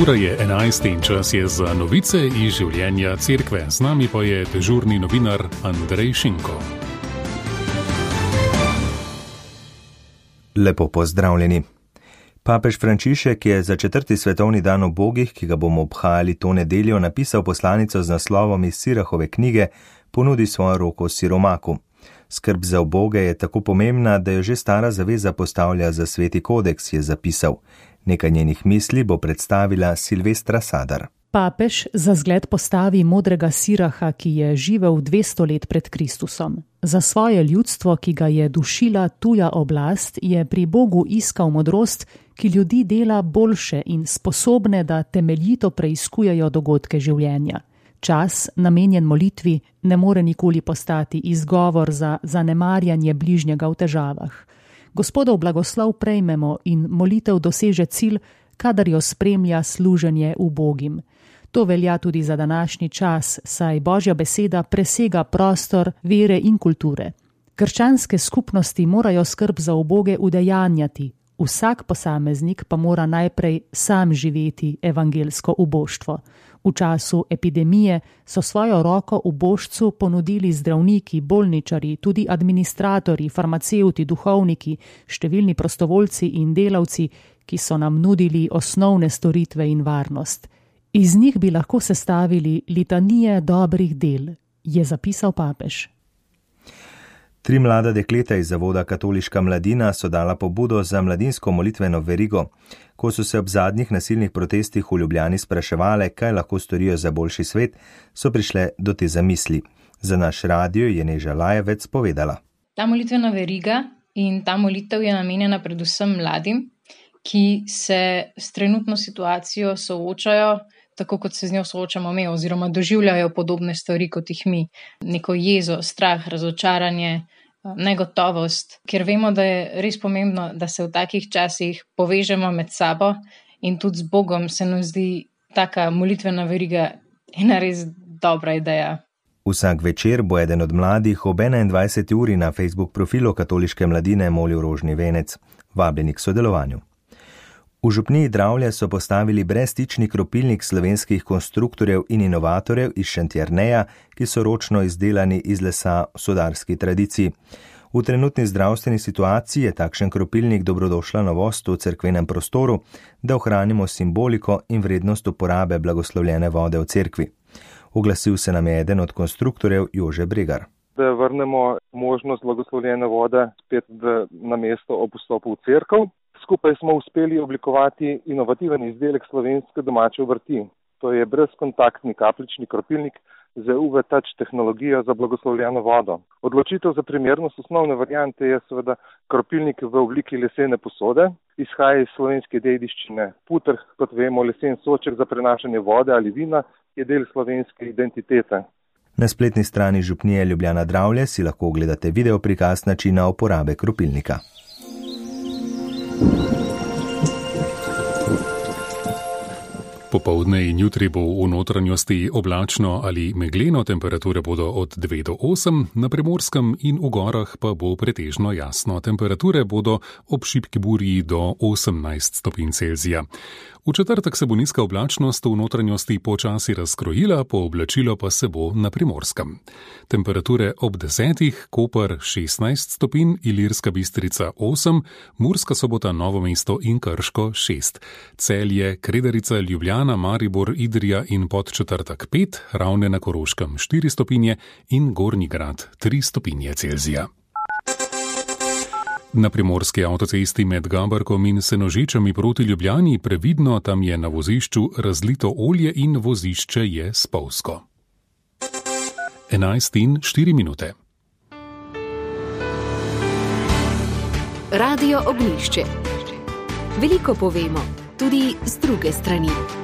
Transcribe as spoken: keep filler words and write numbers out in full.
Ura je enajst in čas je za novice iz življenja cerkve. Z nami pa je dežurni novinar Andrej Šinko. Lepo pozdravljeni. Papež Frančišek je za četrti svetovni dan ubogih, ki ga bomo obhajali to nedeljo, napisal poslanico z naslovom iz Sirahove knjige Ponudi svojo roko siromaku. Skrb za uboge je tako pomembna, da jo že stara zaveza postavlja za sveti kodeks, je zapisal. Nekaj njenih misli bo predstavila Silvestra Sadar. Papež za zgled postavi modrega Siraha, ki je živel dvesto let pred Kristusom. Za svoje ljudstvo, ki ga je dušila tuja oblast, je pri Bogu iskal modrost, ki ljudi dela boljše in sposobne, da temeljito preiskujejo dogodke življenja. Čas, namenjen molitvi, ne more nikoli postati izgovor za zanemarjanje bližnjega v težavah. Gospodov blagoslov prejmemo in molitev doseže cilj, kadar jo spremlja služenje ubogim. To velja tudi za današnji čas, saj Božja beseda presega prostor vere in kulture. Krščanske skupnosti morajo skrb za uboge udejanjati, vsak posameznik pa mora najprej sam živeti evangelsko uboštvo. V času epidemije so svojo roko ubožcu ponudili zdravniki, bolničari, tudi administratorji, farmacevti, duhovniki, številni prostovoljci in delavci, ki so nam nudili osnovne storitve in varnost. Iz njih bi lahko sestavili litanije dobrih del, je zapisal papež. Tri mlada dekleta iz zavoda Katoliška mladina so dala pobudo za mladinsko molitveno verigo. Ko so se ob zadnjih nasilnih protestih v Ljubljani spraševale, kaj lahko storijo za boljši svet, so prišle do te zamisli. Za naš radio je Neža Lajevec povedala. Ta molitvena veriga in ta molitev je namenjena predvsem mladim, ki se s trenutno situacijo soočajo, tako kot se z njo soočamo mi, oziroma doživljajo podobne stvari kot jih mi. Neko jezo, strah, razočaranje, negotovost, ker vemo, da je res pomembno, da se v takih časih povežemo med sabo in tudi z Bogom. Se nam zdi taka molitvena veriga ena res dobra ideja. Vsak večer bo eden od mladih ob enaindvajseti uri na Facebook profilu Katoliške mladine molil rožni venec. Vabljeni k sodelovanju. V župniji Dravlje so postavili brezstični kropilnik slovenskih konstruktorjev in inovatorjev iz Šentjerneja, ki so ročno izdelani iz lesa v sodarski tradiciji. V trenutni zdravstveni situaciji je takšen kropilnik dobrodošla novost v cerkvenem prostoru, da ohranimo simboliko in vrednost uporabe blagoslovljene vode v cerkvi. Oglasil se nam je eden od konstruktorjev Jože Bregar. Da vrnemo možnost blagoslovljene vode spet v, na mesto ob vstopu v cerkev. Skupaj smo uspeli oblikovati inovativen izdelek slovenske domače obrti. To je brezkontaktni kapljični kropilnik z U V Touch tehnologijo za blagoslovljeno vodo. Odločitev za primernost osnovne variante je seveda kropilnik v obliki lesene posode. Izhaja iz slovenske dediščine. Puter, kot vemo, lesen soček za prenašanje vode ali vina, je del slovenske identitete. Na spletni strani župnije Ljubljana Dravlje si lahko ogledate video prikaz načina uporabe kropilnika. Popoldne in jutri bo v notranjosti oblačno ali megleno, temperature bodo od dve do osem, na Primorskem in v gorah pa bo pretežno jasno. Temperature bodo ob šibki burji do osemnajst stopinj Celzija. V četrtek se bo nizka oblačnost v notranjosti počasi razkrojila, pooblačilo pa se bo na Primorskem. Temperature ob desetih, Koper šestnajst stopinj, Ilirska Bistrica osem, Murska Sobota, Novo mesto in Krško šest. Celje, Kredarica, Ljubljana, Maribor, Idrija in Podčetrtek pet, Ravne na Koroškem štiri stopinje in Gornji Grad tri stopinje Celzija. Na primorski avtocesti med Gabarkom in Senožečami proti Ljubljani previdno, tam je na vozišču razlito olje in vozišče je spolzko. enajst in štiri minute. Radio Ognjišče. Veliko povemo, tudi z druge strani.